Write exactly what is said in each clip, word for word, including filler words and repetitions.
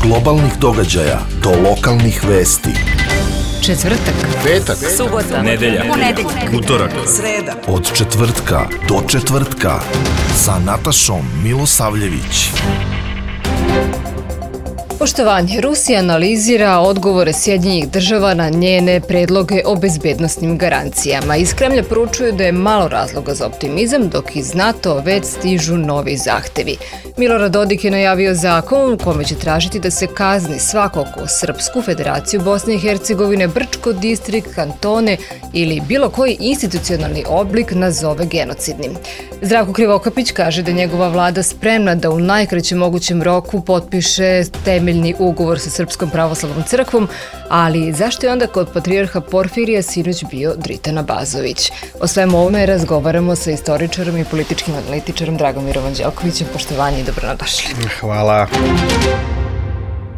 globalnih događaja do lokalnih vesti. Četvrtak, petak, subota, nedelja, ponedeljak, utorak, sreda. Od četvrtka do četvrtka sa Natašom Milosavljević. Poštovanje, Rusija analizira odgovore Sjedinjenih država na njene predloge o bezbednostnim garancijama. Iz Kremlja poručuju da je malo razloga za optimizam, dok iz NATO već stižu novi zahtevi. Milorad Dodik je najavio zakon u kome će tražiti da se kazni svako ko Srpsku Federaciju Bosne i Hercegovine, Brčko, distrikt, kantone ili bilo koji institucionalni oblik nazove genocidnim. Zdravko Krivokapić kaže da je njegova vlada spremna da u najkraćem mogućem roku potpiše temeljni ugovor sa Srpskom pravoslavnom crkvom, ali zašto je onda kod patrijarha Porfirija sinoć bio Dritan Abazović? O svemu ovome razgovaramo sa istoričarom i političkim analitičarom Dragomirom Anđelkovićem. Poštovanje i dobrodošli. Hvala.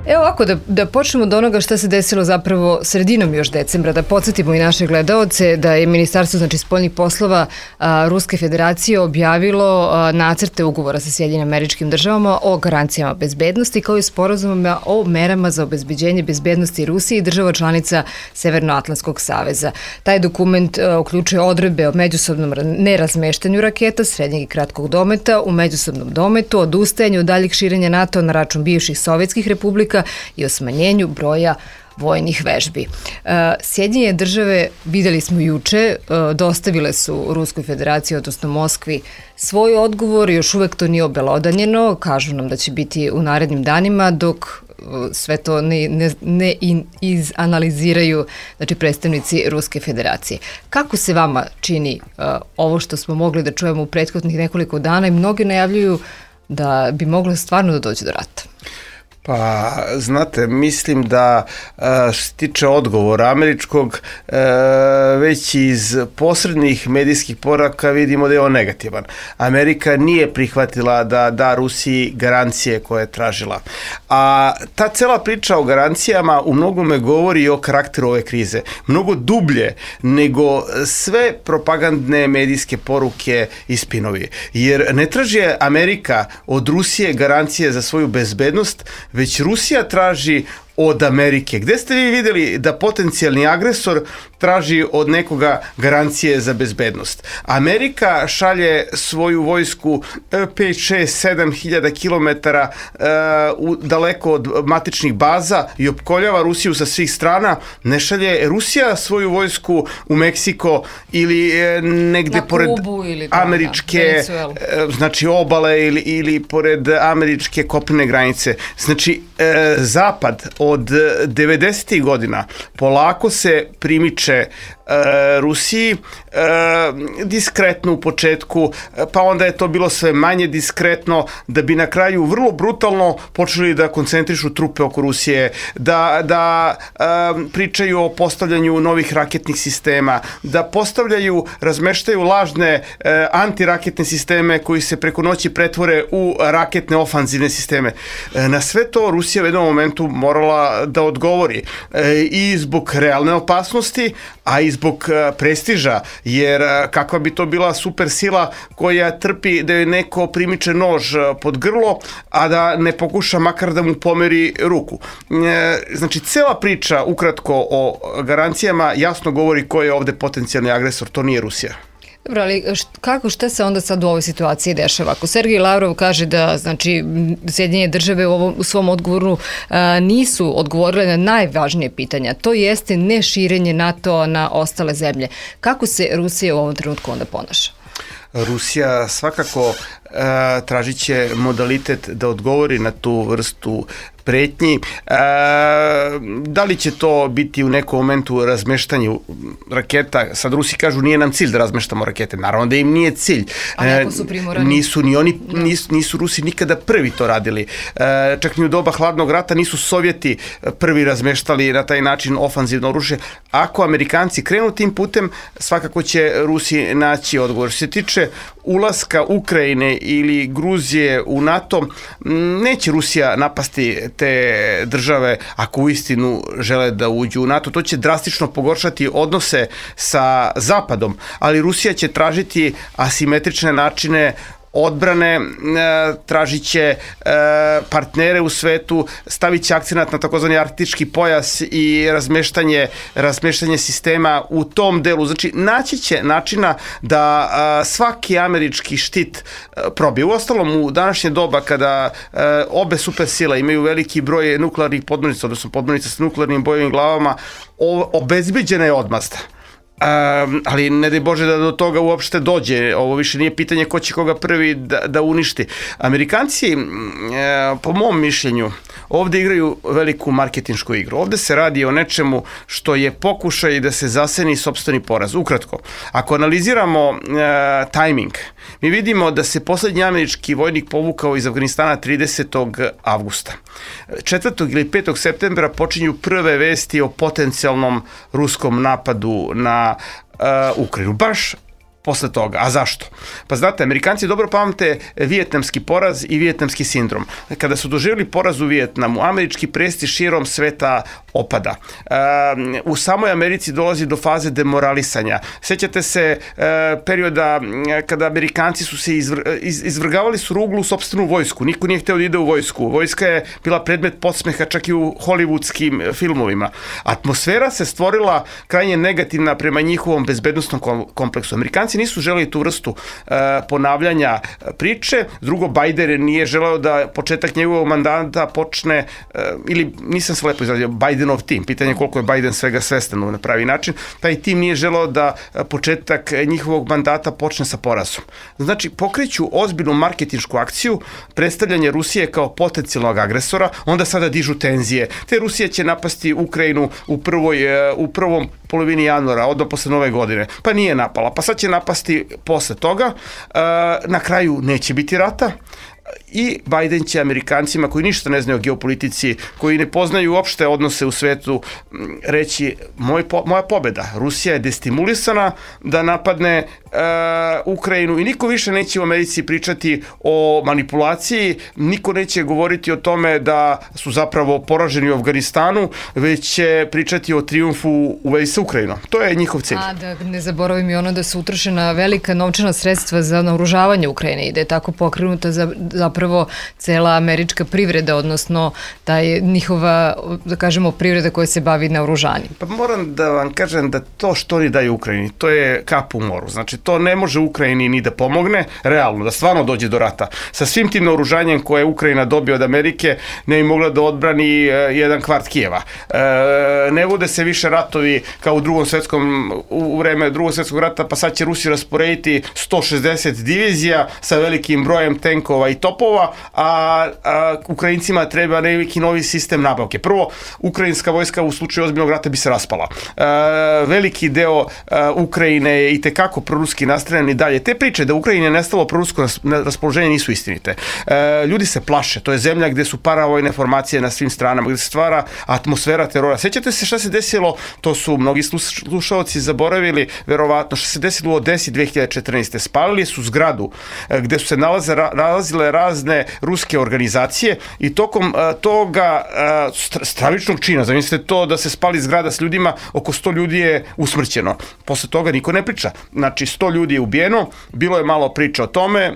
Evo ovako, da, da počnemo od onoga šta se desilo zapravo sredinom još decembra, da podsjetimo i naše gledaoce da je Ministarstvo znači, spoljnih poslova a, Ruske federacije objavilo a, nacrte ugovora sa Sjedinjenim Američkim Državama o garancijama bezbednosti kao i sporazumima o merama za obezbeđenje bezbednosti Rusije i država članica Severnoatlantskog saveza. Taj dokument a, uključuje odredbe o međusobnom nerazmeštanju raketa srednjeg i kratkog dometa, u međusobnom dometu, odustajanju od daljih širenja NATO na račun bivših sovjetskih republika i o smanjenju broja vojnih vežbi. Sjedinjene države, videli smo juče, dostavile su Ruskoj federaciji, odnosno Moskvi, svoj odgovor, još uvek to nije obelodanjeno, kažu nam da će biti u narednim danima, dok sve to ne, ne, ne izanaliziraju znači, predstavnici Ruske federacije. Kako se vama čini uh, ovo što smo mogli da čujemo u prethodnih nekoliko dana i mnogi najavljuju da bi moglo stvarno da dođe do rata? Pa, znate, mislim da što se tiče odgovora američkog, već iz posrednih medijskih poraka vidimo da je on negativan. Amerika nije prihvatila da da Rusiji garancije koje je tražila. A ta cela priča o garancijama u mnogome govori o karakteru ove krize. Mnogo dublje nego sve propagandne medijske poruke i spinovi. Jer ne traži Amerika od Rusije garancije za svoju bezbednost, već Rusija traži od Amerike. Gde ste vi vidjeli da potencijalni agresor traži od nekoga garancije za bezbednost? Amerika šalje svoju vojsku pet, šest, sedam hiljada kilometara uh, daleko od matičnih baza i opkoljava Rusiju sa svih strana. Ne šalje Rusija svoju vojsku u Meksiko ili uh, negde na pored Kubu ili američke uh, znači obale ili, ili pored američke kopnene granice. Znači, uh, Zapad od devedesetih godina polako se primiče e, Rusiji, e, diskretno u početku, pa onda je to bilo sve manje diskretno, da bi na kraju vrlo brutalno počeli da koncentrišu trupe oko Rusije, da, da e, pričaju o postavljanju novih raketnih sistema, da postavljaju, razmeštaju lažne e, antiraketne sisteme koji se preko noći pretvore u raketne ofanzivne sisteme. E, na sve to Rusija u jednom momentu morala da odgovori e, i zbog realne opasnosti, a i zbog e, prestiža, jer e, kakva bi to bila super sila koja trpi da je neko primiče nož pod grlo, a da ne pokuša makar da mu pomeri ruku. E, znači, cela priča ukratko o garancijama jasno govori ko je ovde potencijalni agresor, to nije Rusija. Dobro, ali kako, šta se onda sad u ovoj situaciji dešava? Ako Sergej Lavrov kaže da znači, Sjedinjene države u, ovom, u svom odgovoru a, nisu odgovorile na najvažnije pitanja, to jeste neširenje NATO na ostale zemlje. Kako se Rusija u ovom trenutku onda ponaša? Rusija svakako e, tražit će modalitet da odgovori na tu vrstu pretnji. E, da li će to biti u nekom momentu razmeštanju raketa? Sad Rusi kažu nije nam cilj da razmeštamo rakete. Naravno da im nije cilj. A neko su primorani. Nisu ni oni, nisu, nisu Rusi nikada prvi to radili. E, čak ni u doba hladnog rata nisu Sovjeti prvi razmeštali na taj način ofanzivno oružje. Ako Amerikanci krenu tim putem, svakako će Rusi naći odgovor. Što se tiče ulaska Ukrajine ili Gruzije u NATO, neće Rusija napasti te države ako uistinu žele da uđu u NATO. To će drastično pogoršati odnose sa Zapadom, ali Rusija će tražiti asimetrične načine odbrane, tražit će partnere u svetu, stavit će akcenat na takozvani arktički pojas i razmeštanje, razmeštanje sistema u tom delu. Znači, naći će načina da svaki američki štit probije. Uostalom, u današnje doba kada obe supersile imaju veliki broj nuklearnih podmornica, odnosno podmornica sa nuklearnim bojovim glavama, obezbeđena je odmazda. Um, ali ne daj Bože da do toga uopšte dođe. Ovo više nije pitanje ko će koga prvi da, da uništi. Amerikanci, e, po mom mišljenju, ovde igraju veliku marketinšku igru. Ovde se radi o nečemu što je pokušaj da se zaseni sopstveni poraz. Ukratko, ako analiziramo e, tajming, mi vidimo da se poslednji američki vojnik povukao iz Afganistana tridesetog avgusta. četvrtog ili petog septembra počinju prve vesti o potencijalnom ruskom napadu na uh, Ukrajinu. Baš posle toga. A zašto? Pa znate, Amerikanci dobro pamte vijetnamski poraz i vijetnamski sindrom. Kada su doživjeli poraz u Vijetnamu, američki prestiž širom sveta opada. E, u samoj Americi dolazi do faze demoralisanja. Sećate se e, perioda kada Amerikanci su se izvr, iz, izvrgavali su ruglu sopstvenu vojsku. Niko nije hteo da ide u vojsku. Vojska je bila predmet podsmeha čak i u hollywoodskim filmovima. Atmosfera se stvorila krajnje negativna prema njihovom bezbednostnom kompleksu. Amerikanci nisu želeli tu vrstu uh, ponavljanja priče. Drugo, Biden nije želeo da početak njegovog mandata počne, uh, ili nisam se lepo izrazio, Bidenov tim. Pitanje je koliko je Biden svega svestan na pravi način. Taj tim nije želeo da početak njihovog mandata počne sa porazom. Znači, pokreću ozbiljnu marketinšku akciju, predstavljanje Rusije kao potencijalnog agresora, onda sada dižu tenzije. Te Rusija će napasti Ukrajinu u, prvoj, u prvom polovini januara, odmah posle nove godine. Pa nije napala, pa sad će napasti posle toga. Na kraju neće biti rata. I Biden će Amerikancima koji ništa ne znaju o geopolitici, koji ne poznaju uopšte odnose u svetu, reći moj, moja pobeda. Rusija je destimulisana da napadne uh, Ukrajinu i niko više neće u Americi pričati o manipulaciji, niko neće govoriti o tome da su zapravo poraženi u Afganistanu, već će pričati o trijumfu u vezi sa Ukrajinom. To je njihov cilj. A da ne zaboravim i ono da su utrošena velika novčana sredstva za naoružavanje Ukrajine i da je tako pokrenuta za zapravo cela američka privreda, odnosno da je njihova, da kažemo, privreda koja se bavi naoružanjem. Pa moram da vam kažem da to što oni daju Ukrajini, to je kap u moru. Znači, to ne može Ukrajini ni da pomogne, realno, da stvarno dođe do rata. Sa svim tim naoružanjem koje Ukrajina dobije od Amerike, ne bi mogla da odbrani uh, jedan kvart Kijeva. Uh, ne vode se više ratovi kao u drugom svetskom, u vreme drugog svetskog rata, pa sad će Rusi rasporediti sto šezdeset divizija sa velikim brojem tenkova i topova, a, a Ukrajincima treba neki novi sistem nabavke. Prvo, ukrajinska vojska u slučaju ozbiljnog rata bi se raspala. E, veliki deo e, Ukrajine je i tekako proruski nastreljeni dalje. Te priče da Ukrajine nestalo prorusko raspoloženje nisu istinite. E, ljudi se plaše. To je zemlja gde su paravojne formacije na svim stranama, gde se stvara atmosfera terora. Sećate se šta se desilo? To su mnogi slušalci zaboravili, verovatno, šta se desilo u Odesi dve hiljade četrnaeste. Spalili su zgradu e, gde su se nalaze, nalazile razne ruske organizacije i tokom uh, toga uh, stravičnog čina, zamislite to da se spali zgrada s ljudima, oko sto ljudi je usmrćeno. Posle toga niko ne priča. Znači, sto ljudi je ubijeno, bilo je malo priča o tome,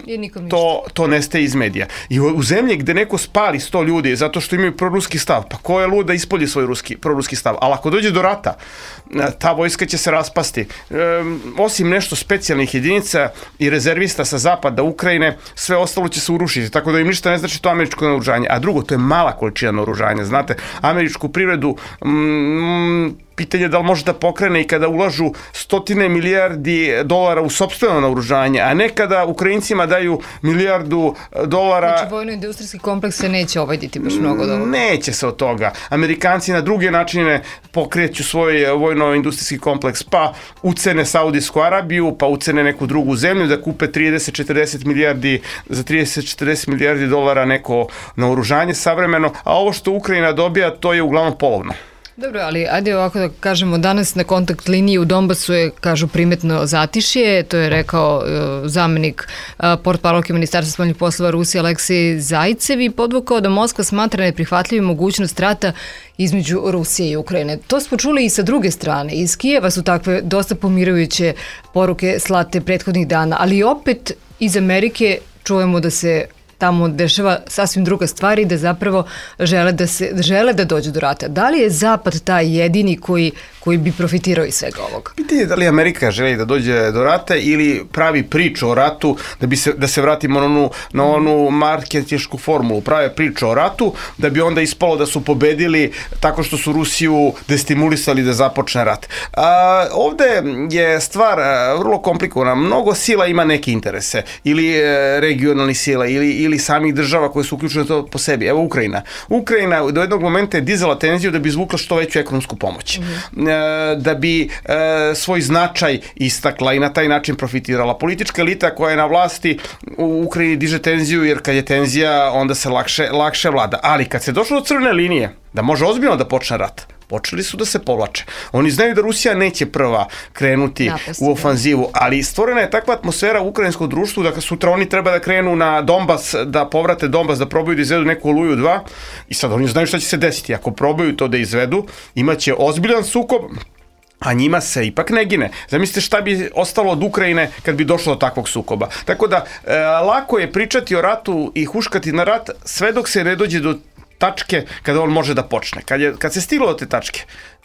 to, to nestaje iz medija. I u, u zemlji gde neko spali sto ljudi zato što imaju proruski stav, pa ko je lud da ispolji svoj ruski, proruski stav? Ali ako dođe do rata, ta vojska će se raspasti. Um, osim nešto specijalnih jedinica i rezervista sa zapada Ukrajine, sve ostalo će se urušiti, tako da im ništa ne znači to američko naoružanje. A drugo, to je mala količina naoružanja. Znate, američku privredu mm, pitanje da li može da pokrene i kada ulažu stotine milijardi dolara u sopstveno naoružanje, a ne kada Ukrajincima daju milijardu dolara. Znači, vojno-industrijski kompleks se neće ovaditi baš mnogo od ovoga. Neće se od toga. Amerikanci na druge načine pokreću svoj vojno-industrijski kompleks, pa ucene Saudijsku Arabiju, pa ucene neku drugu zemlju da kupe trideset četrdeset milijardi, za trideset četrdeset milijardi dolara neko naoružanje savremeno, a ovo što Ukrajina dobija, to je uglavnom polovno. Dobro, ali ajde ovako da kažemo, danas na kontakt liniji u Donbasu je, kažu, primetno zatišje, to je rekao uh, zamenik uh, portparolke Ministarstva spoljnih poslova Rusije Aleksej Zajcev i podvukao da Moskva smatra neprihvatljivim mogućnost rata između Rusije i Ukrajine. To smo čuli i sa druge strane. Iz Kijeva su takve dosta pomirujuće poruke slate prethodnih dana, ali opet iz Amerike čujemo da se tamo dešava sasvim druga stvar i da zapravo žele da, se, žele da dođu do rata. Da li je Zapad taj jedini koji, koji bi profitirao iz svega ovoga? Pitanje je da li Amerika želi da dođe do rata ili pravi priču o ratu, da, bi se, da se vratimo na onu, na onu marketinšku formulu, prave priču o ratu, da bi onda ispalo da su pobedili tako što su Rusiju destimulisali da započne rat. A, ovde je stvar vrlo komplikovana. Mnogo sila ima neke interese, ili e, regionalni sila, ili, ili samih država koje su uključene to po sebi. Evo Ukrajina. Ukrajina do jednog momenta je dizala tenziju da bi izvukla što veću ekonomsku pomoć. Mm-hmm. E, da bi e, svoj značaj istakla i na taj način profitirala. Politička elita koja je na vlasti u Ukrajini diže tenziju, jer kad je tenzija onda se lakše, lakše vlada. Ali kad se došlo do crvene linije, da može ozbiljno da počne rat, počeli su da se povlače. Oni znaju da Rusija neće prva krenuti Napasti, u ofanzivu, ali stvorena je takva atmosfera u ukrajinskom društvu da sutra oni treba da krenu na Donbas, da povrate Donbas, da probaju da izvedu neku Oluju dva, i sad oni znaju šta će se desiti. Ako probaju to da izvedu, imaće ozbiljan sukob, a njima se ipak ne gine. Zamislite šta bi ostalo od Ukrajine kad bi došlo do takvog sukoba. Tako da, e, lako je pričati o ratu i huškati na rat sve dok se ne dođe do tačke kada on može da počne. Kad, je, kad se stiglo do te tačke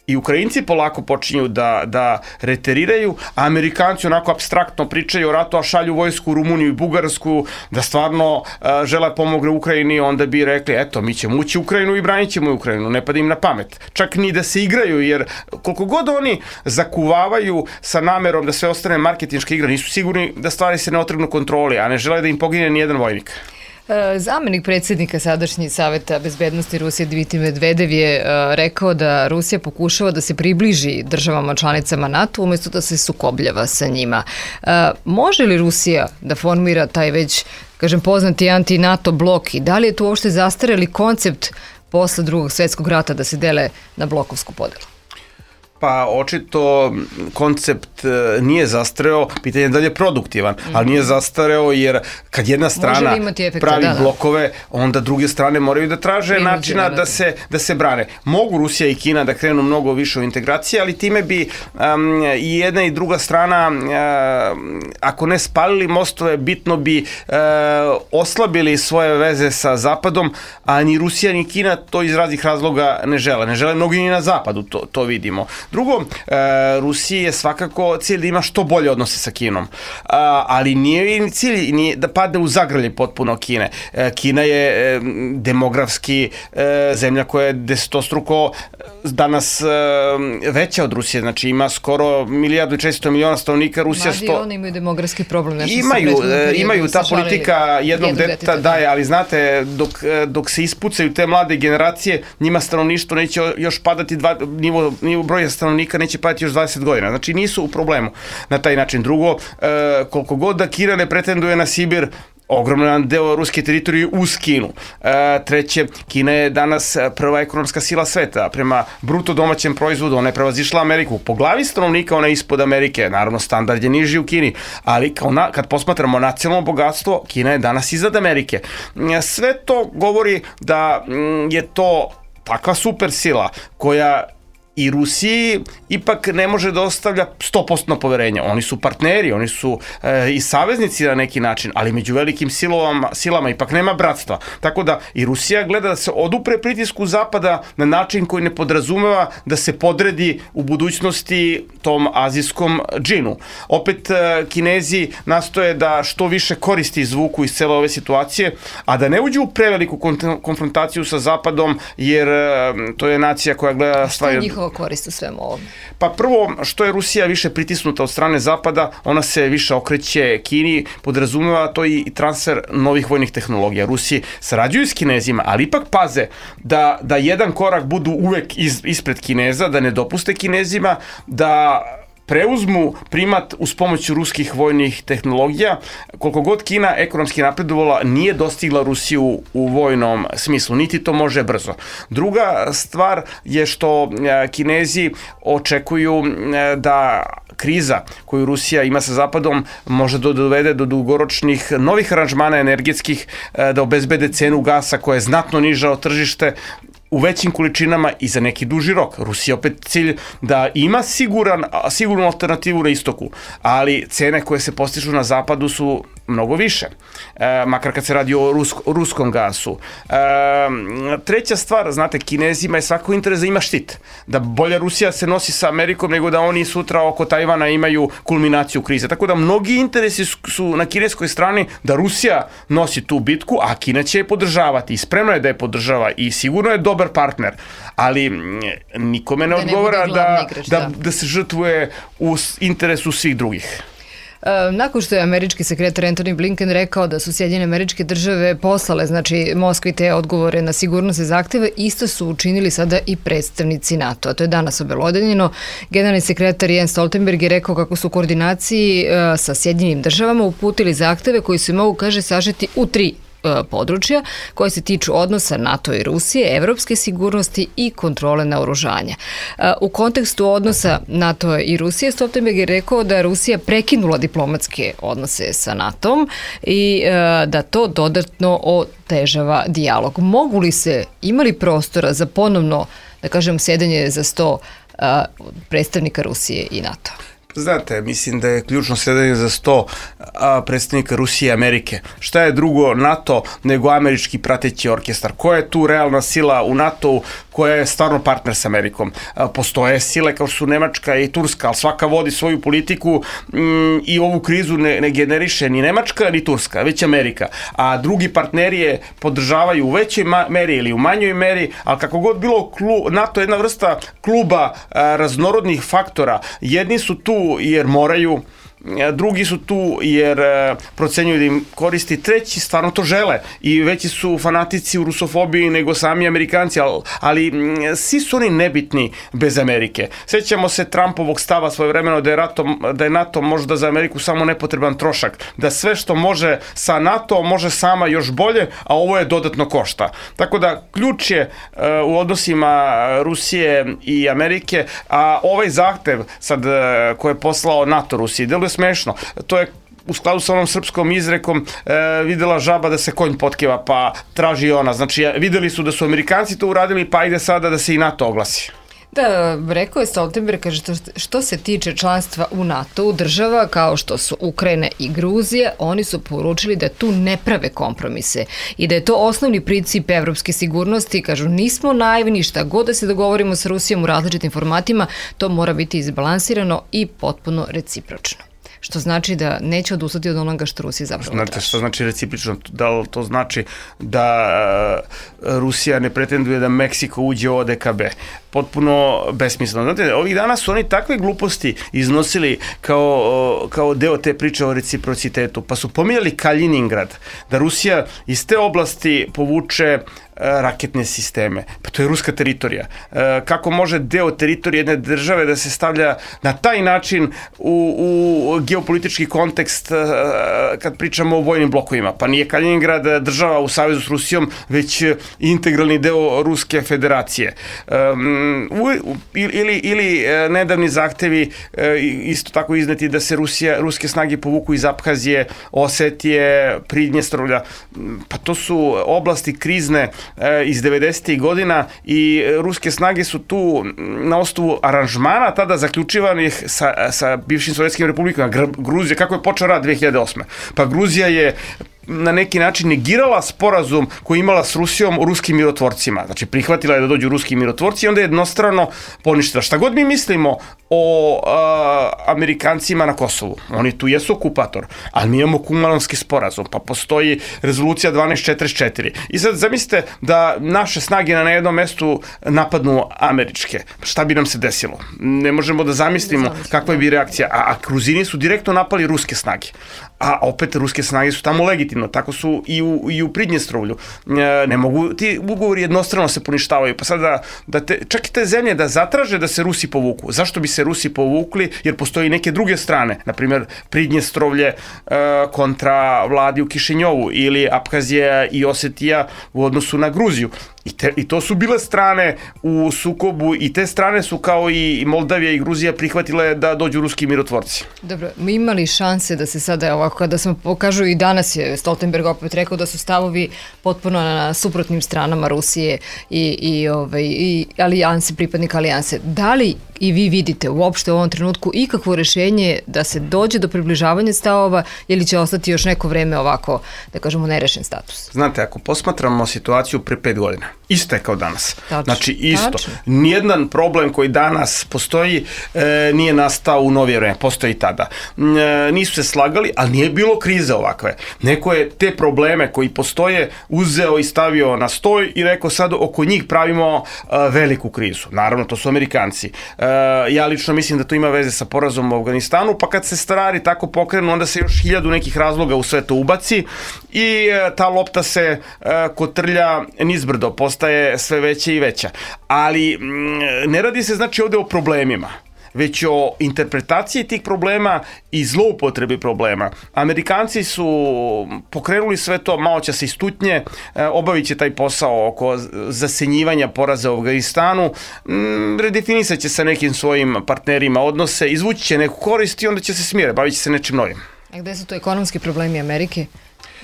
i Ukrajinci polako počinju da, da reteriraju, a Amerikanci onako apstraktno pričaju o ratu, a šalju vojsku u Rumuniju i Bugarsku, da stvarno uh, žele pomogne Ukrajini, onda bi rekli, eto, mi ćemo ući u Ukrajinu i branit ćemo Ukrajinu, ne pada im na pamet. Čak ni da se igraju, jer koliko god oni zakuvavaju sa namerom da sve ostane marketinška igra, nisu sigurni da stvari se ne otrgnu kontroli, a ne žele da im pogine ni jedan vojnik. Zamenik predsjednika sadašnji Saveta bezbednosti Rusije Dmitri Medvedev je rekao da Rusija pokušava da se približi državama članicama NATO umjesto da se sukobljava sa njima. Može li Rusija da formira taj već, kažem, poznati anti-NATO blok i da li je to uopšte zastareli koncept posle drugog svjetskog rata da se dele na blokovsku podelu? Pa očito koncept nije zastareo, pitanje je da li je produktivan, mm-hmm. ali nije zastareo jer kad jedna strana efekta, pravi da, da. blokove, onda druge strane moraju da traže Prinuđe, načina da, da, se, da se brane. Mogu Rusija i Kina da krenu mnogo više u integracije, ali time bi um, i jedna i druga strana, uh, ako ne spalili mostove, bitno bi uh, oslabili svoje veze sa Zapadom, a ni Rusija ni Kina to iz raznih razloga ne žele. Ne žele mnogi ni na Zapadu, to, to vidimo. Drugo, e, Rusiji je svakako cilj da ima što bolje odnose sa Kinom, a, ali nije cilj nije da padne u zagrlje potpuno Kine. E, Kina je e, demografski e, zemlja koja je desetostruko danas e, veća od Rusije, znači ima skoro milijardu i četiristo miliona stanovnika, Rusija sto... Mladi oni imaju demografski problem. Imaju, e, imaju ta politika jednog deteta daje, ali znate, dok, dok se ispucaju te mlade generacije, njima stanovništvo neće još padati dva, nivo, nivo broja stanovnika neće padati još dvadeset godina. Znači nisu u problemu na taj način. Drugo, e, koliko god da Kina ne pretenduje na Sibir, ogroman deo ruske teritorije uz Kinu. E, treće, Kina je danas prva ekonomska sila sveta. Prema bruto domaćem proizvodu ona je prevazišla Ameriku. Po glavi stanovnika ona je ispod Amerike. Naravno, standard je niži u Kini. Ali kao na, kad posmatramo nacionalno bogatstvo, Kina je danas iznad Amerike. Sve to govori da je to takva super sila koja i Rusiji ipak ne može da ostavlja sto posto poverenja. Oni su partneri, oni su e, i saveznici na neki način, ali među velikim silama, silama ipak nema bratstva. Tako da i Rusija gleda da se odupre pritisku Zapada na način koji ne podrazumeva da se podredi u budućnosti tom azijskom džinu. Opet e, Kinezi nastoje da što više koristi izvuku iz cele ove situacije, a da ne uđu u preveliku konfrontaciju sa Zapadom, jer e, to je nacija koja gleda stvari... korist u svemu ovom? Pa prvo, što je Rusija više pritisnuta od strane Zapada, ona se više okreće Kini, podrazumeva to i transfer novih vojnih tehnologija. Rusi sarađuju s Kinezima, ali ipak paze da, da jedan korak budu uvek iz, ispred Kineza, da ne dopuste Kinezima da preuzmu primat uz pomoć ruskih vojnih tehnologija. Koliko god Kina ekonomski napredovala, nije dostigla Rusiju u vojnom smislu, niti to može brzo. Druga stvar je što Kinezi očekuju da kriza koju Rusija ima sa Zapadom može da dovede do dugoročnih novih aranžmana energetskih, da obezbede cenu gasa koja je znatno niža od tržište, u većim količinama i za neki duži rok. Rusija opet cilj da ima siguran, sigurnu alternativu na istoku, ali cene koje se postižu na zapadu su mnogo više, e, makar kad se radi o rusk, ruskom gasu. E, treća stvar, znate, Kinezima je svako interes da ima štit, da bolje Rusija se nosi sa Amerikom nego da oni sutra oko Tajvana imaju kulminaciju krize. Tako da mnogi interesi su na kineskoj strani da Rusija nosi tu bitku, a Kina će je podržavati i spremna je da je podržava i sigurno je dobar partner, ali nikome ne da odgovara ne da, igrač, da, da. da se žrtvuje u interesu svih drugih. Nakon što je američki sekretar Antony Blinken rekao da su Sjedinjene Američke Države poslale, znači Moskvi, te odgovore na sigurnosne zahteve, isto su učinili sada i predstavnici NATO. A to je danas obelodanjeno. Generalni sekretar Jens Stoltenberg je rekao kako su u koordinaciji sa Sjedinjenim Državama uputili zahteve koji se mogu, kaže, sažeti u tri područja koje se tiču odnosa NATO i Rusije, evropske sigurnosti i kontrole naoružanja. U kontekstu odnosa NATO i Rusije, Stoltenberg je rekao da Rusija prekinula diplomatske odnose sa NATO-om i da to dodatno otežava dijalog. Mogu li se, imali prostora za ponovno, da kažem, sjedanje za sto predstavnika Rusije i NATO? Znate, mislim da je ključno sedanje za sto a, predstavnika Rusije i Amerike. Šta je drugo NATO nego američki prateći orkestar? Koja je tu realna sila u NATO-u koja je stvarno partner s Amerikom? A, postoje sile kao što su Nemačka i Turska, ali svaka vodi svoju politiku m, i ovu krizu ne, ne generiše ni Nemačka ni Turska, već Amerika. A drugi partneri je podržavaju u većoj meri ili u manjoj meri, ali kako god bilo, klu, NATO je jedna vrsta kluba a, raznorodnih faktora. Jedni su tu jer moraju, drugi su tu jer procenjuju da im koristi, treći stvarno to žele i veći su fanatici u rusofobiji nego sami Amerikanci, ali, ali svi su oni nebitni bez Amerike. Sjećamo se Trumpovog stava svojevremeno da je, NATO, da je NATO možda za Ameriku samo nepotreban trošak, da sve što može sa NATO može sama još bolje, a ovo je dodatno košta. Tako da ključ je uh, u odnosima Rusije i Amerike, a ovaj zahtev sad uh, koje je poslao NATO Rusiji, deluje smešno. To je u skladu sa onom srpskom izrekom e, videla žaba da se konj potkeva, pa traži ona. Znači, videli su da su Amerikanci to uradili, pa ide sada da se i NATO oglasi. Da, rekao je Stoltenberg, kaže, što se tiče članstva u NATO-u, država kao što su Ukrajina i Gruzija, oni su poručili da tu ne prave kompromise i da je to osnovni princip evropske sigurnosti. Kažu, nismo naivni, šta god da se dogovorimo sa Rusijom u različitim formatima, to mora biti izbalansirano i potpuno recipročno. Što znači da neće odustati od onoga što Rusija zapravo traži. Znate što znači recipročno? Da li to znači da Rusija ne pretenduje da Meksiko uđe u O D K B? Potpuno besmisleno. Znate, ovih dana su oni takve gluposti iznosili kao, kao deo te priče o reciprocitetu, pa su pominjali Kaliningrad, da Rusija iz te oblasti povuče raketne sisteme. Pa to je ruska teritorija. Kako može deo teritorije jedne države da se stavlja na taj način u, u geopolitički kontekst kad pričamo o vojnim blokovima? Pa nije Kaliningrad država u savezu s Rusijom, već integralni deo Ruske federacije. Ili, ili nedavni zahtevi isto tako izneti da se Rusija, ruske snage povuku iz Abhazije, Osetije, Pridnjestrovlja. Pa to su oblasti krizne iz devedesetih godina i ruske snage su tu na osnovu aranžmana tada zaključivanih sa, sa bivšim sovjetskim republikama. Gruzija, kako je počeo rat dve hiljade osme? Pa Gruzija je na neki način negirala sporazum koji imala s Rusijom o ruskim mirotvorcima. Znači, prihvatila je da dođu ruski mirotvorci i onda je jednostrano poništila. Šta god mi mislimo o a, Amerikancima na Kosovu, oni tu jesu okupator, ali mi imamo Kumanovski sporazum, pa postoji rezolucija dvanaest četrdeset četiri. I sad zamislite da naše snage na jednom mestu napadnu američke. Šta bi nam se desilo? Ne možemo da zamislimo kakva bi reakcija. A, a Gruzini su direktno napali ruske snage. A opet ruske snage su tamo legitimno, tako su i u, i u Pridnjestrovlju. Ne mogu, ti ugovori jednostrano se poništavaju, pa sad da, da te, čak i te zemlje da zatraže da se Rusi povuku. Zašto bi se Rusi povukli? Jer postoji neke druge strane, na primjer Pridnjestrovlje e, kontra vladi u Kišinjovu ili Abhazija i Osetija u odnosu na Gruziju. I, te, I to su bile strane u sukobu i te strane su kao i Moldavija i Gruzija prihvatile da dođu ruski mirotvorci. Dobro, mi imali šanse da se sada ovako, kada smo pokažu i danas je Stoltenberg opet rekao da su stavovi potpuno na suprotnim stranama Rusije i, i, ovaj, i alijanse, pripadnika alijanse. Da li i vi vidite uopšte u ovom trenutku ikakvo rešenje da se dođe do približavanja stavova ili će ostati još neko vreme ovako, da kažemo, nerešen status? Znate, ako posmatramo situaciju pre pet godina, isto je kao danas. Tačno, znači, isto. Tačno. Nijedan problem koji danas postoji e, nije nastao u novije vreme, postoji i tada. E, nisu se slagali, ali nije bilo krize ovakve. Neko je te probleme koji postoje uzeo i stavio na stoj i rekao sad oko njih pravimo e, veliku krizu. Naravno, to su Amerikanci. E, ja lično mislim da to ima veze sa porazom u Afganistanu, pa kad se stvari tako pokrenu, onda se još hiljadu nekih razloga u sve to ubaci i e, ta lopta se e, kotrlja nizbrdo, postaje sve veća i veća. Ali m, ne radi se znači ovde o problemima, već o interpretaciji tih problema i zloupotrebi problema. Amerikanci su pokrenuli sve to, malo će se istutnje, obavit će taj posao oko zasenjivanja poraza u Afganistanu, redefinisat će sa nekim svojim partnerima odnose, izvući će neku korist i onda će se smire, bavit će se nečim novim. A gde su to ekonomski problemi Amerike?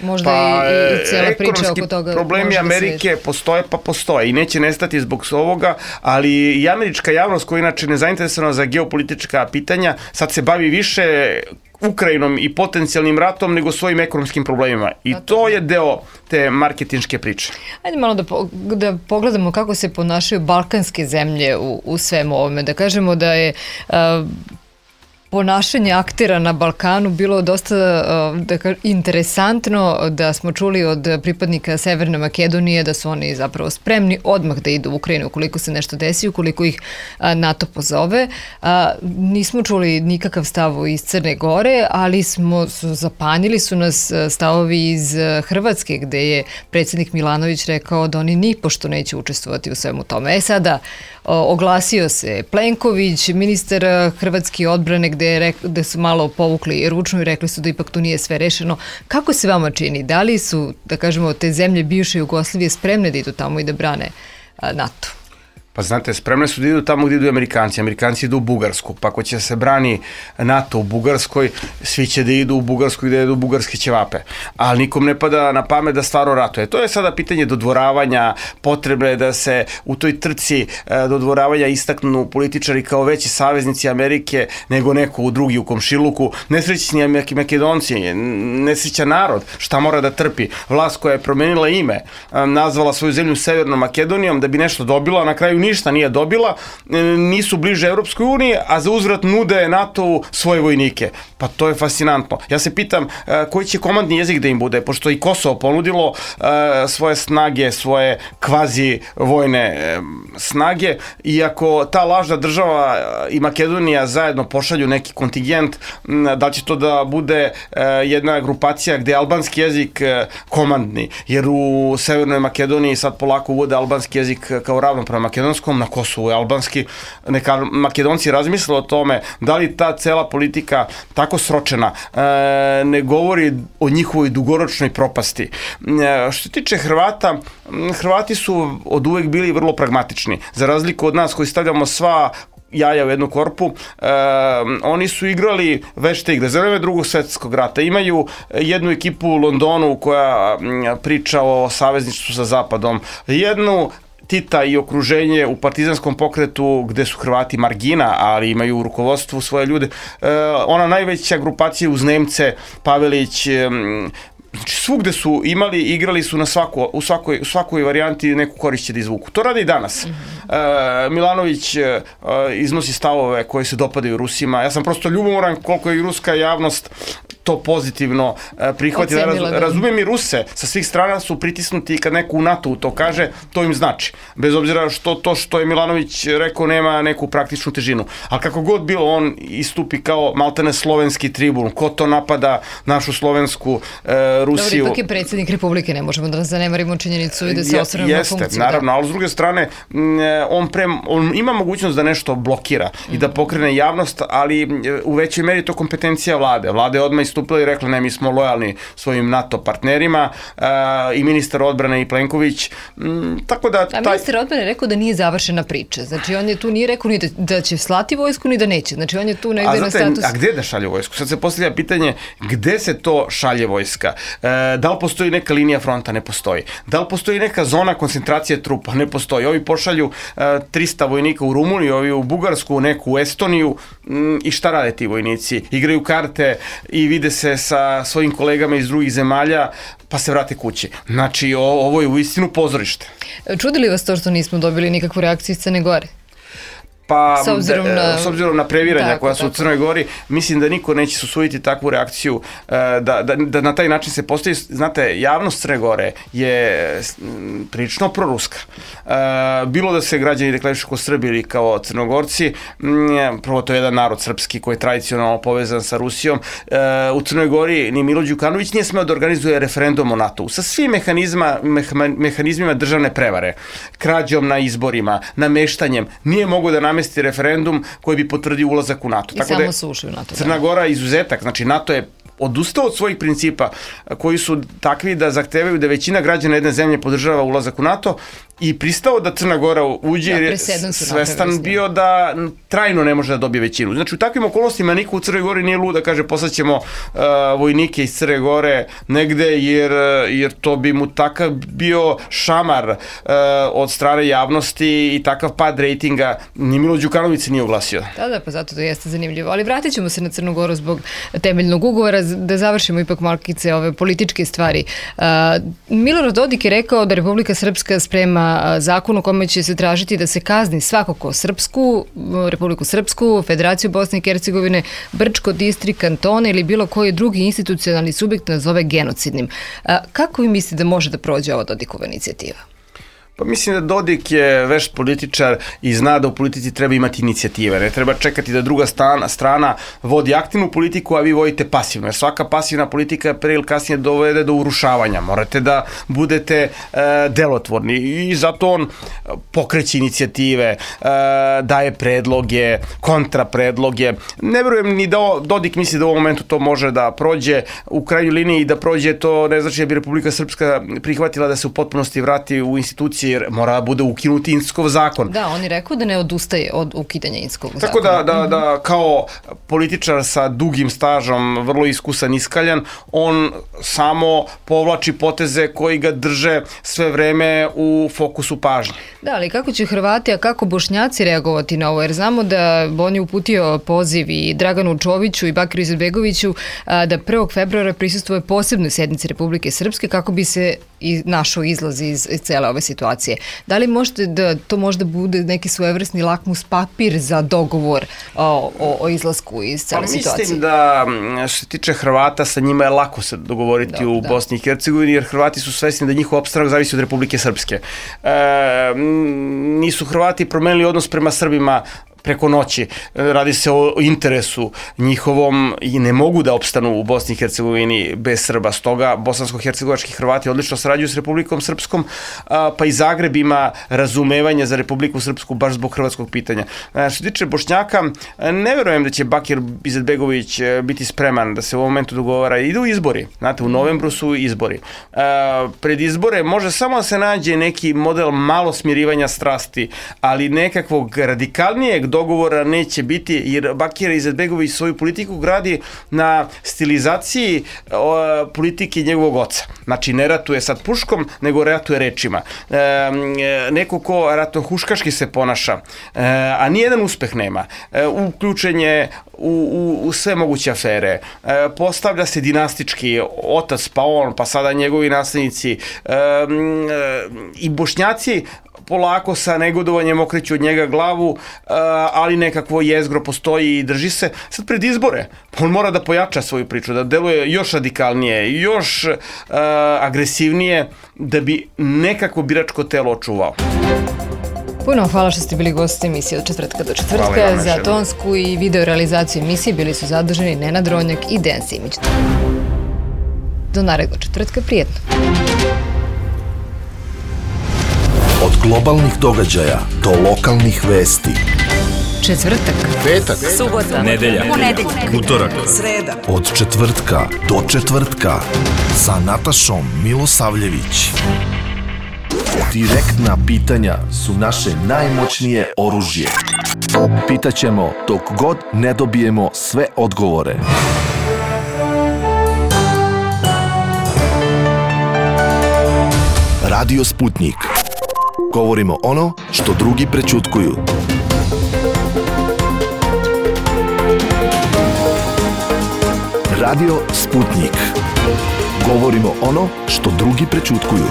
Možda pa, i, i cijela priča oko toga. Problemi Amerike da postoje pa postoje i neće nestati zbog ovoga, ali i američka javnost koja inače nezainteresovana za geopolitička pitanja sad se bavi više Ukrajinom i potencijalnim ratom nego svojim ekonomskim problemima. I to je deo te marketinške priče. Ajde malo da, po, da pogledamo kako se ponašaju balkanske zemlje u, u svemu ovome. Da kažemo da je Uh, ponašanje aktera na Balkanu bilo dosta da kažem, interesantno, da smo čuli od pripadnika Severne Makedonije da su oni zapravo spremni odmah da idu u Ukrajinu ukoliko se nešto desi, ukoliko ih NATO pozove. Nismo čuli nikakav stav iz Crne Gore, ali smo zapanjili su nas stavovi iz Hrvatske gde je predsjednik Milanović rekao da oni nipošto neće učestvovati u svemu tome. E sada, oglasio se Plenković, ministar hrvatske odbrane, gde, je, gde su malo povukli ručno i rekli su da ipak tu nije sve rešeno. Kako se vama čini? Da li su, da kažemo, te zemlje bivše Jugoslavije spremne da idu tamo i da brane NATO? Pa znate, spremne su da idu tamo gdje idu Amerikanci. Amerikanci idu u Bugarsku, pa ako će se brani NATO u Bugarskoj, svi će da idu u Bugarsku gdje idu bugarske ćevape. Ali nikom ne pada na pamet da stvarno ratuje. To je sada pitanje dodvoravanja, potrebe da se u toj trci dodvoravanja istaknu političari kao veći saveznici Amerike nego neko u drugi u komšiluku. Nesrećni Makedonci, nesrećan narod, šta mora da trpi. Vlast koja je promenila ime, nazvala svoju zemlju Severnom Makedonijom da bi nešto dobila, na kraju ništa nije dobila, nisu bliže Evropskoj uniji, a za uzvrat nude NATO-u svoje vojnike. Pa to je fascinantno. Ja se pitam koji će komandni jezik da im bude, pošto i Kosovo ponudilo svoje snage, svoje kvazi vojne snage, i ako ta lažna država i Makedonija zajedno pošalju neki kontingent, da će to da bude jedna grupacija gde je albanski jezik komandni, jer u Severnoj Makedoniji sad polako uvode albanski jezik kao ravnopravan makedonskom, na Kosovu je albanski. Neka Makedonci razmisle o tome da li ta cela politika tako sročena e, ne govori o njihovoj dugoročnoj propasti. E, što se tiče Hrvata, Hrvati su od uvek bili vrlo pragmatični. Za razliku od nas koji stavljamo sva jaja u jednu korpu, e, oni su igrali vešte igre. Za vreme Drugog svjetskog rata imaju jednu ekipu u Londonu koja priča o savezništvu sa Zapadom, jednu Tita i okruženje u partizanskom pokretu gde su Hrvati margina, ali imaju u rukovodstvu svoje ljude. E, ona najveća grupacija uz Nemce, Pavelić, e, znači svugde su imali, igrali su na svako, u, svakoj, u svakoj varijanti neku korist će da izvuku. To rade i danas. Mm-hmm. E, Milanović e, iznosi stavove koji se dopadaju Rusima. Ja sam prosto ljubomoran koliko je i ruska javnost to pozitivno e, prihvati. Raz, razumijem i Ruse, sa svih strana su pritisnuti i kad neko u NATO to kaže, to im znači. Bez obzira što to što je Milanović rekao nema neku praktičnu težinu. Ali kako god bilo, on istupi kao maltene slovenski tribun. Ko to napada našu slovensku e, Rusiju? Dobro, ipak je predsjednik Republike, ne možemo da zanemarimo činjenicu i da se osvrnemo na funkciju. Jeste, naravno, da. Ali s druge strane, on, pre, on ima mogućnost da nešto blokira mm. i da pokrene javnost, ali u većoj meri to kompetencija vlade. Vlada je odmah istupila i rekla ne, mi smo lojalni svojim NATO partnerima, i ministar odbrane i Plenković, tako da... A ministar odbrane je rekao da nije završena priča, znači on je tu nije rekao ni da, da će slati vojsku ni da neće, znači on je tu negde na status... A gde da šalje vojsku? Sad se postavlja pitanje gde se to šalje vojska? E, da li postoji neka linija fronta? Ne postoji. Da li postoji neka zona koncentracije trupa? Ne postoji. Ovi pošalju e, trista vojnika u Rumuniju, ovi u Bugarsku, neku u Estoniju, m, i šta rade ti vojnici? Igraju karte i vide se sa svojim kolegama iz drugih zemalja, pa se vrate kući. Znači, o, ovo je uistinu pozorište. Čudi li vas to što nismo dobili nikakvu reakciju iz Crne Gore? Pa, s obzirom na, s obzirom na previranja tako, koja su tako. u Crnoj Gori, mislim da niko neće susuditi takvu reakciju, da, da, da na taj način se postoji. Znate, javnost Crne Gore je prilično proruska. Bilo da se građani deklarišu kao Srbi ili kao Crnogorci, prvo to je jedan narod srpski koji je tradicionalno povezan sa Rusijom. U Crnoj Gori ni Milo Đukanović nije smeo da organizuje referendum o NATO-u sa svim mehanizma, mehanizmima državne prevare, krađom na izborima, nameštanjem, nije mogo da namesti referendum koji bi potvrdio ulazak u NATO. I tako samo su ušli u NATO. Crna Gora je izuzetak, znači NATO je odustao od svojih principa koji su takvi da zahtevaju da većina građana jedne zemlje podržava ulazak u NATO i pristao da Crna Gora uđe, jer je svestan bio da trajno ne može da dobije većinu. Znači u takvim okolnostima niko u Crnoj Gori nije lud da kaže poslaćemo uh, vojnike iz Crne Gore negde, jer, jer to bi mu takav bio šamar uh, od strane javnosti i takav pad rejtinga. Ni Milo Đukanović se nije oglasio. Da, da, pa zato to jeste zanimljivo. Ali vratit ćemo se na Crnu Goru zbog temeljnog ugovora, da završimo ipak malkice ove političke stvari. Uh, Milorad Dodik je rekao da Republika Srpska sprema zakon u kome će se tražiti da se kazni svako ko Srpsku, Republiku Srpsku, Federaciju Bosne i Hercegovine, Brčko, Distrik, kantone ili bilo koji drugi institucionalni subjekt nazove genocidnim. Uh, kako vi mislite da može da prođe ova Dodikova inicijativa? Pa mislim da Dodik je vešt političar i zna da u politici treba imati inicijative. Ne treba čekati da druga strana, strana vodi aktivnu politiku, a vi vodite pasivno. Jer svaka pasivna politika pre ili kasnije dovede do urušavanja. Morate da budete e, delotvorni i zato on pokreće inicijative, e, daje predloge, kontrapredloge. Ne verujem ni da Dodik misli da u ovom momentu to može da prođe. U krajnjoj liniji da prođe to ne znači da bi Republika Srpska prihvatila da se u potpunosti vrati u institucije, jer mora da bude ukinut Inckov zakon. Da, on je rekao da ne odustaje od ukidanja Inckog zakona. Tako da, da, da kao političar sa dugim stažom, vrlo iskusan, iskaljan, on samo povlači poteze koji ga drže sve vreme u fokusu pažnje. Da, ali kako će Hrvati, a kako Bošnjaci reagovati na ovo? Jer znamo da on je uputio poziv i Draganu Čoviću i Bakiru Izetbegoviću da prvog februara prisustvuje posebnoj sednici Republike Srpske kako bi se i našao izlaz iz, iz cele ove situacije. Da li možete da to možda bude neki svojevrsni lakmus papir za dogovor o, o, o izlasku iz cele pa, situacije? Mislim da što se tiče Hrvata, sa njima je lako se dogovoriti da, u da. Bosni i Hercegovini, jer Hrvati su svesni da njihov opstanak zavisi od Republike Srpske. E, nisu Hrvati promenili odnos prema Srbima preko noći. Radi se o interesu njihovom i ne mogu da opstanu u Bosni i Hercegovini bez Srba. Stoga bosansko-hercegovački Hrvati odlično sarađuju s Republikom Srpskom, pa i Zagreb ima razumevanje za Republiku Srpsku baš zbog hrvatskog pitanja. Što se tiče Bošnjaka, ne verujem da će Bakir Izetbegović biti spreman da se u ovom momentu dogovara. Idu izbori. Znate, u novembru su izbori. Pred izbore može samo da se nađe neki model malo smirivanja strasti, ali nekakvog radikalnijeg dogovora neće biti, jer Bakir Izetbegović svoju politiku gradi na stilizaciji o, politike njegovog oca. Znači, ne ratuje sad puškom, nego ratuje rečima. E, neko ko ratohuškaški se ponaša, e, a nijedan uspeh nema. E, uključenje u, u, u sve moguće afere. E, postavlja se dinastički otac, pa on, pa sada njegovi naslednici. E, e, I Bošnjaci polako sa negodovanjem okreću od njega glavu, ali nekakvo jezgro postoji i drži se. Sad pred izbore, on mora da pojača svoju priču, da deluje još radikalnije, još agresivnije, da bi nekako biračko telo očuvao. Puno hvala što ste bili gosti emisije od četvrtka do četvrtka. Za tonsku i video realizaciju emisije bili su zaduženi Nenad Ronjak i Dejan Simić. Do narednog četvrtka, prijetno. Od globalnih događaja do lokalnih vesti. Četvrtak, Petak, subota, nedelja, ponedeljak, utorak, sreda. od četvrtka do četvrtka sa Natašom Milosavljević. Direktna pitanja su naše najmoćnije oružje. Pitaćemo dok god ne dobijemo sve odgovore. Radio Sputnik. Govorimo ono što drugi prećutkuju. Radio Sputnik. Govorimo ono što drugi prećutkuju.